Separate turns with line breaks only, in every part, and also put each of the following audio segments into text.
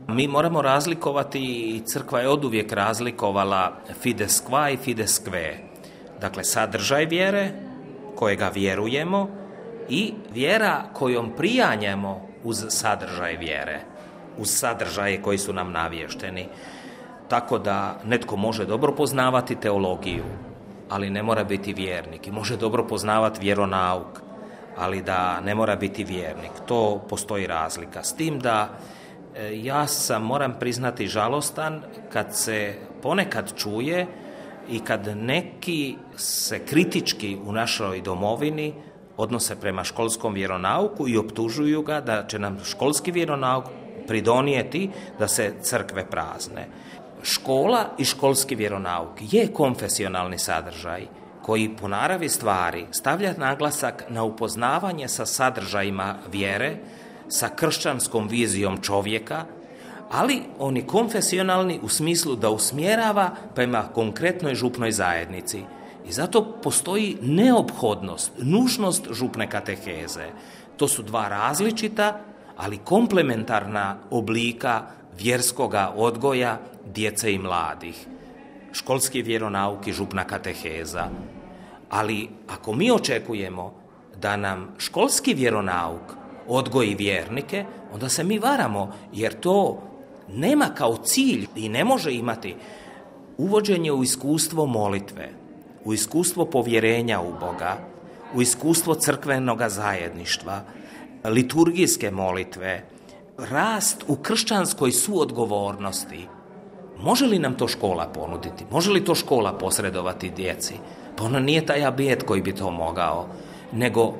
Mi moramo razlikovati, i crkva je oduvijek razlikovala fides qua i fides kve. Dakle, sadržaj vjere, kojega vjerujemo, i vjera kojom prijanjemo uz sadržaj vjere, uz sadržaje koji su nam navješteni. Tako da netko može dobro poznavati teologiju, ali ne mora biti vjernik. I može dobro poznavati vjeronauk, ali da ne mora biti vjernik. To postoji razlika. S tim da ja sam, moram priznati, žalostan kad se ponekad čuje i kad neki se kritički u našoj domovini odnose prema školskom vjeronauku i optužuju ga da će nam školski vjeronauk pridonijeti da se crkve prazne. Škola i školski vjeronauk je konfesionalni sadržaj koji po naravi stvari stavlja naglasak na upoznavanje sa sadržajima vjere, sa kršćanskom vizijom čovjeka, ali on je konfesionalni u smislu da usmjerava prema konkretnoj župnoj zajednici. I zato postoji neophodnost, nužnost župne kateheze. To su dva različita, ali komplementarna oblika vjerskoga odgoja djece i mladih. Školski vjeronauk i župna kateheza. Ali ako mi očekujemo da nam školski vjeronauk odgoji vjernike, onda se mi varamo, jer to nema kao cilj i ne može imati uvođenje u iskustvo molitve, u iskustvo povjerenja u Boga, u iskustvo crkvenoga zajedništva, liturgijske molitve, rast u kršćanskoj suodgovornosti. Može li nam to škola ponuditi? Može li to škola posredovati djeci? Pa ono nije taj abijet koji bi to mogao, nego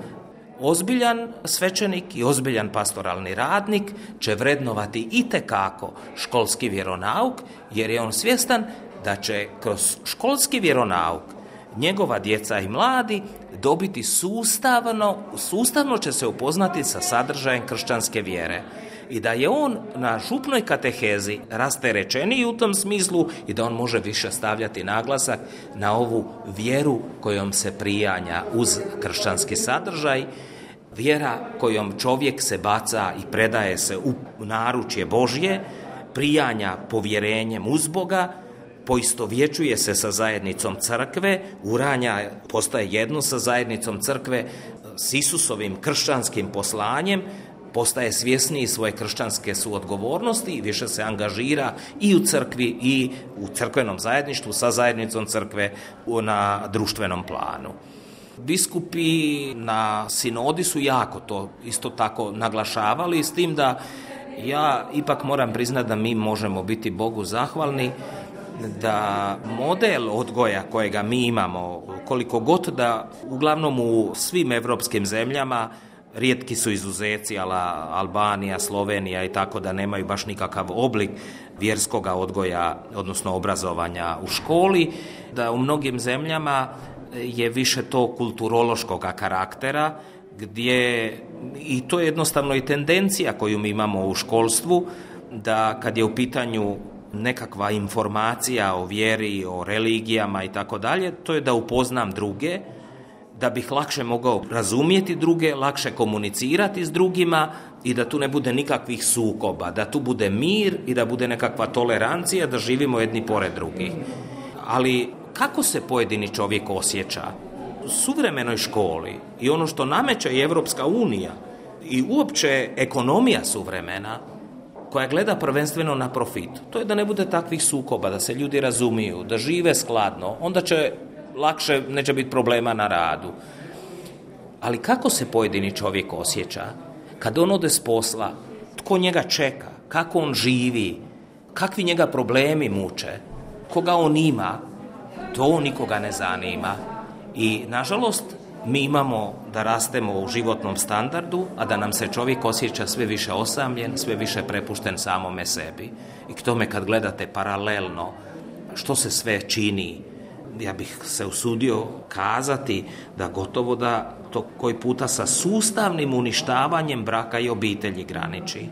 ozbiljan svećenik i ozbiljan pastoralni radnik će vrednovati itekako školski vjeronauk, jer je on svjestan da će kroz školski vjeronauk njegova djeca i mladi dobiti sustavno će se upoznati sa sadržajem kršćanske vjere. I da je on na župnoj katehezi rasterećeniji u tom smislu i da on može više stavljati naglasak na ovu vjeru kojom se prijanja uz kršćanski sadržaj, vjera kojom čovjek se baca i predaje se u naručje Božje, prijanja povjerenjem uz Boga, poistovjećuje se sa zajednicom crkve, uranja, postaje jedno sa zajednicom crkve, s Isusovim kršćanskim poslanjem, postaje svjesniji svoje kršćanske suodgovornosti i više se angažira i u crkvi i u crkvenom zajedništvu sa zajednicom crkve na društvenom planu. Biskupi na sinodi su jako to isto tako naglašavali, s tim da ja ipak moram priznati da mi možemo biti Bogu zahvalni da model odgoja kojega mi imamo, koliko god da uglavnom u svim europskim zemljama, rijetki su izuzeci, Albanija, Slovenija i tako, da nemaju baš nikakav oblik vjerskoga odgoja, odnosno obrazovanja u školi, da u mnogim zemljama je više to kulturološkoga karaktera, gdje, i to je jednostavno i tendencija koju mi imamo u školstvu, da kad je u pitanju nekakva informacija o vjeri, o religijama i tako dalje, to je da upoznam druge, da bih lakše mogao razumjeti druge, lakše komunicirati s drugima i da tu ne bude nikakvih sukoba, da tu bude mir i da bude nekakva tolerancija, da živimo jedni pored drugih. Ali kako se pojedini čovjek osjeća u suvremenoj školi i ono što nameće i Evropska unija i uopće ekonomija suvremena, koja gleda prvenstveno na profit, to je da ne bude takvih sukoba, da se ljudi razumiju, da žive skladno, onda će lakše, neće biti problema na radu. Ali kako se pojedini čovjek osjeća kad on ode s posla, tko njega čeka, kako on živi, kakvi njega problemi muče, koga on ima, to nikoga ne zanima. I nažalost mi imamo da rastemo u životnom standardu, a da nam se čovjek osjeća sve više osamljen, sve više prepušten samome sebi. I k tome kad gledate paralelno što se sve čini, ja bih se usudio kazati da gotovo da to koji puta sa sustavnim uništavanjem braka i obitelji graniči.